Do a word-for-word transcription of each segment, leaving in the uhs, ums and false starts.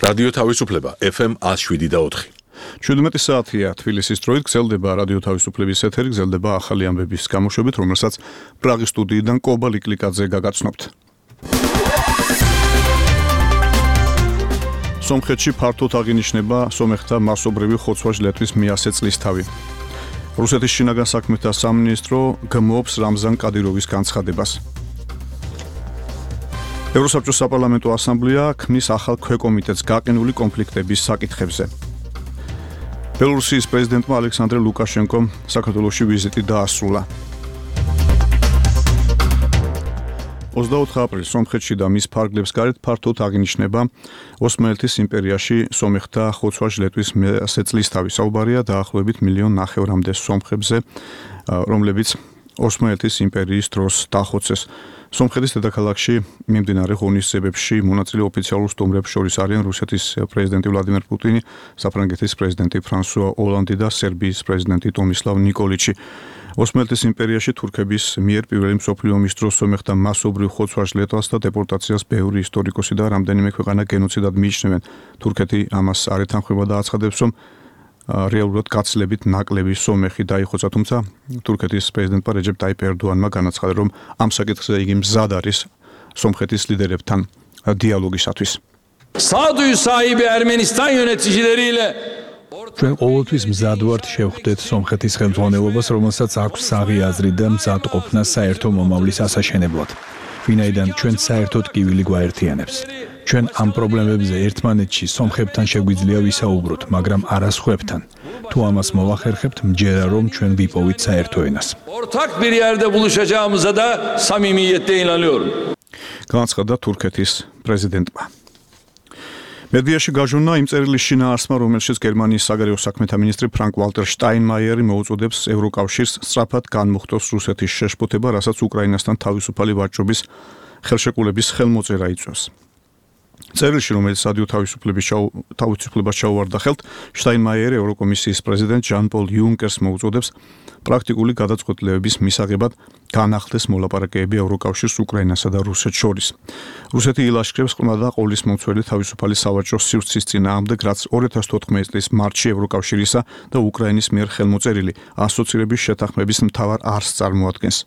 რადიო თავისუფლება F M one oh seven და four. შვიდმეტი საათია თბილისის დროით გრძელდება რადიო თავისუფლების ეთერი, გრძელდება ახალი ამბების გამოშვებით, რომელსაც პრაღის სტუდიიდან კობა ლიკლიკაძე გაგაცნობთ. სომხეთში ფართოდ აღინიშნება სომეხთა მასობრივი ხოცვა-ჟლეტვის მეათე წლისთავი. რუსეთის შინაგან საქმეთა სამინისტრო გმობს რამზან კადიროვის განცხადებას. ევროსაბჭოს საპარლამენტო ასამბლეა ქმნის ახალ ქვეკომიტეტს გაყინული კონფლიქტების საკითხებზე. ბელორუსიის პრეზიდენტმა ალექსანდრე ლუკაშენკომ საქართველოში ვიზიტი დაასრულა. ოცდაოთხ აპრილს სომხეთში და მის ფარგლებს გარეთ ფართოდ აღინიშნება ოსმალეთის იმპერიაში სომეხთა ხოცვა-ჟლეტვის მეათე წლისთავი. საუბარია დაახლოებით მილიონ ნახევრამდე სომხებზე, რომლებიც ოსმალეთის იმპერიის დროს დახოცეს. სომხეთის დედაქალაქში მიმდინარე ღონისძიებებში მონაწილე ოფიციალურ სტუმრებს შორის არიან რუსეთის პრეზიდენტი ვლადიმერ პუტინი, საფრანგეთის პრეზიდენტი ფრანსუა ოლანდი და სერბიის პრეზიდენტი ტომისლავ ნიკოლიჩი. ოსმალეთის იმპერიაში თურქების მიერ პირველი მსოფლიო ომის დროს სომეხთა მასობრივ ხოცვა-ჟლეტვას და დეპორტაციას ბევრი ისტორიკოსი და რამდენიმე ქვეყანა გენოციდად მიიჩნევენ. თურქეთი ამას არ ეთანხმება და აცხადებს, რომ რეალურად გაცილებით ნაკლები სომეხი დაიხოცა, თუმცა თურქეთის პრეზიდენტმა რეჯეპ ტაიპ ერდოანმა განაცხადა, რომ ამ საკითხზე იგი მზად არის სომხეთის ლიდერებთან დიალოგისათვის. Sağduyu sahibi Ermenistan yöneticileriyle ჩვენ ყოველთვის მზად ვართ შევხვდეთ სომხეთის ხელმძღვანელობას, რომელსაც აქვს საღი აზრი და მზად ყოფნა საერთო მომავლის ასაშენებლად. ვინაიდან ჩვენ საერთოდ კივილი გვაერთიანებს. ჩვენ ამ პრობლემებზე ერთმანეთში სომხებთან შეგვიძლია ვისაუბროთ, მაგრამ არა სხვებთან. თუ ამას მოვახერხებთ, მჯერა რომ ჩვენ ვიპოვით საერთო ენას. ortak bir yerde buluşacağımıza da samimiyetle inanıyorum. განაცხადა თურქეთის პრეზიდენტმა. მედიაში გაჟონა იმ წერილის შინაარსმა, რომელშიც გერმანიის საგარეო საქმეთა მინისტრი ფრანკ ვალტერ შტაინმაიერი მოუწოდებს ევროკავშირს სწრაფად განმუხტოს რუსეთის შეშფოთება, რასაც უკრაინასთან თავისუფალი ვაჭრობის ხელშეკრულების ხელმოწერა იწვევს. წერილში, რომელიც რადიო თავისუფლების თავისუფლებას ჩაუვარდა ხელთ, შტაინმაიერი ევროკომისიის პრეზიდენტ ჟან პოლ იუნკერს მოუწოდებს პრაქტიკული გადაწყვეტილებების მისაღებად განახლდეს მოლაპარაკებები ევროკავშირს უკრაინასა და რუსეთს შორის. რუსეთი ილაშქრებს ყრმა და ყოლის მომცველი თავისუფალი სავაჭრო სივრცის წინააღმდეგ, რაც ორი ათას თოთხმეტი წლის მარტში ევროკავშირისა და უკრაინის მიერ ხელმოწერილი ასოცირების შეთანხმების მთავარ არსს წარმოადგენს.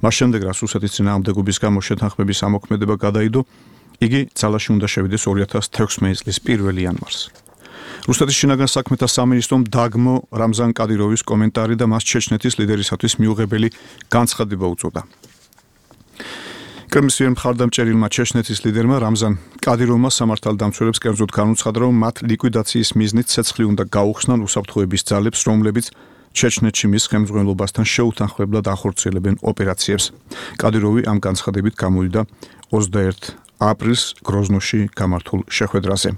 მას შემდეგ, რაც რუსეთის წინააღმდეგობის გამო შეთანხმების ამოქმედება გადაიდო, იგი ძალაში უნდა შევიდეს ორი ათას თექვსმეტი წლის პირველი იანვარს. რუსეთის შინაგან საქმეთა სამინისტრომ დაგმო რამზან კადიროვის კომენტარი და მას ჩეჩნეთის ლიდერისათვის მიუღებელი განცხადება უწოდა. კრემლის მიერ მხარდამჭერილმა ჩეჩნეთის ლიდერმა რამზან კადიროვმა სამართალდამცველებს კერძოდ განუცხადა, რომ მათ ლიკვიდაციის მიზნით ცეცხლი უნდა გაუხსნან უსაფრთხოების ძალებს, რომლებიც ჩეჩნეთში მის ხელმძღვანელობასთან შეუთანხმებლად ახორციელებენ ოპერაციებს. კადიროვი ამ განცხადებით გამოვიდა ოცდაერთი აპრილს გროზნოში გამართულ შეხვედრაზე.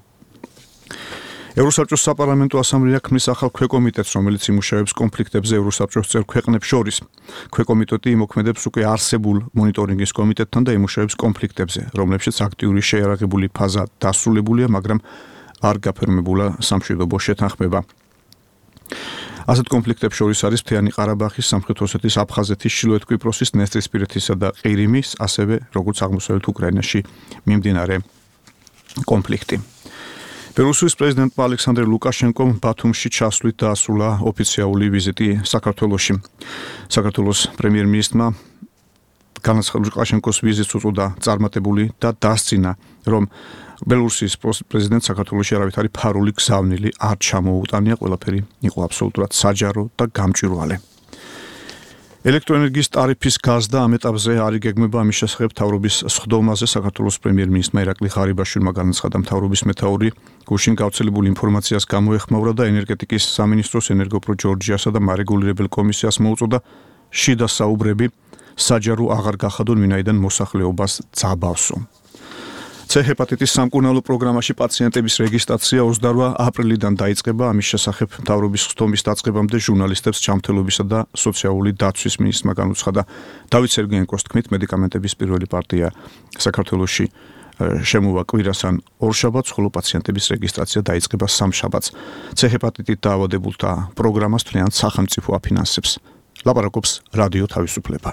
ევროსაბჭოს საპარლამენტო ასამბლეა ქმნის ახალ ქვეკომიტეტს, რომელიც იმუშავებს კონფლიქტებზე ევროსაბჭოს წევრ ქვეყნებს შორის. ქვეკომიტეტი იმოქმედებს უკვე არსებულ მონიტორინგის კომიტეტთან და იმუშავებს კონფლიქტებზე, რომლებშიც აქტიური შეიარაღებული ფაზა დასრულებულია, მაგრამ არ გაფორმებულა სამშვიდობო შეთანხმება. ასეთ კონფლიქტებს შორის არის მთიანი ყარაბაღის, სამხრეთ ოსეთის, აფხაზეთის, ჩრდილოეთ კვიპროსის, ნესტრისპირეთისა და ყირიმის, ასევე როგორც აღმოსავლეთ უკრაინაში მიმდინარე კონფლიქტი. ბელორუსიის პრეზიდენტმა ალექსანდრე ლუკაშენკომ ბათუმში ჩასვლით დაასრულა ოფიციალური ვიზიტი საქართველოში. საქართველოს პრემიერ-მინისტრმა ლუკაშენკოს ვიზიტს უწოდა წარმატებული და დასძინა, რომ ბელორუსიის პრეზიდენტს საქართველოში არავით არის ფარული გზავნილი არ ჩამოუტანია, ყველაფერი იყო აბსოლუტურად საჯარო და გამჭვირვალე. ელექტროენერგიის ტარიფის გაზდა ამ ეტაპზე არ იგეგმება, ამის შესახებ მთავრობის სხდომაზე საქართველოს პრემიერ-მინისტრმა ირაკლი ღარიბაშვილმა განაცხადა, მთავრობის მეთაური გუშინ გავრცელებული ინფორმაციას გამოეხმაურა და ენერგეტიკის სამინისტროს ენერგოპრო ჯორჯიასა და მარეგულირებელ კომისიას მოუწოდა შიდა საუბრები საჯარო აღარ გახადონ, ვინაიდან მოსახლეობას ძაბავსო. C ჰეპატიტის სამკურნალო პროგრამაში პაციენტების რეგისტრაცია ოცდაორი აპრილიდან დაიწყება, ამის შესახებ მთავრობის სხდომის დაწყებამდე ჟურნალისტებს ჩამთელობისა და სოციალური დაცვის მინისტრმა განუცხადა. დავით სერგეენკოს თქმით, მედიკამენტების პირველი პარტია საქართველოში შემოვა კვირას ან ორშაბათს, ხოლო პაციენტების რეგისტრაცია დაიწყება სამშაბათს. C ჰეპატიტით დაავადებულთა პროგრამას თვლიან სახელმწიფო აფინანსებს. ლაპარაკობს რადიო თავისუფლება.